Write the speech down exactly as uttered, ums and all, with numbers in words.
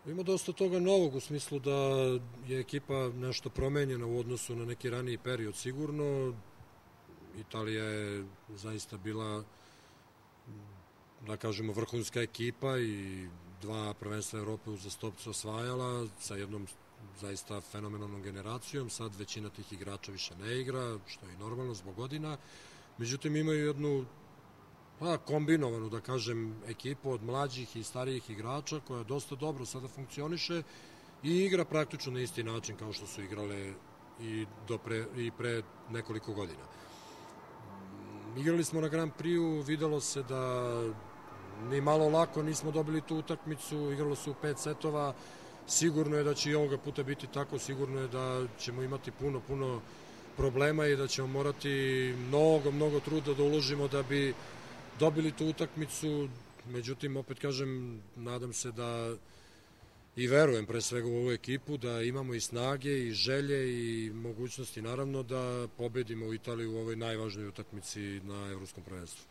Ima dosta toga novog u smislu da je ekipa nešto promenjena u odnosu na neki raniji period sigurno. Italija je zaista bila, da kažemo, vrhunska ekipa i dva prvenstva Evrope uzastopce osvajala sa jednom zaista fenomenalnom generacijom. Sad većina tih igrača više ne igra, što je i normalno zbog godina. Međutim, imaju jednu pa, kombinovanu, da kažem, ekipu od mlađih i starijih igrača koja dosta dobro sada funkcioniše i igra praktično na isti način kao što su igrale i, do pre, i pre nekoliko godina. Igrali smo na Grand Prix-u, videlo se da ni malo lako nismo dobili tu utakmicu, igralo se u pet setova, sigurno je da će i ovoga puta biti tako, sigurno je da ćemo imati puno, puno problema i da ćemo morati mnogo, mnogo truda da uložimo da bi dobili tu utakmicu. Međutim, opet kažem, nadam se da i verujem pre svega u ovu ekipu, da imamo i snage i želje i mogućnosti naravno da pobedimo u Italiju u ovoj najvažnijoj utakmici na Evropskom prvenstvu.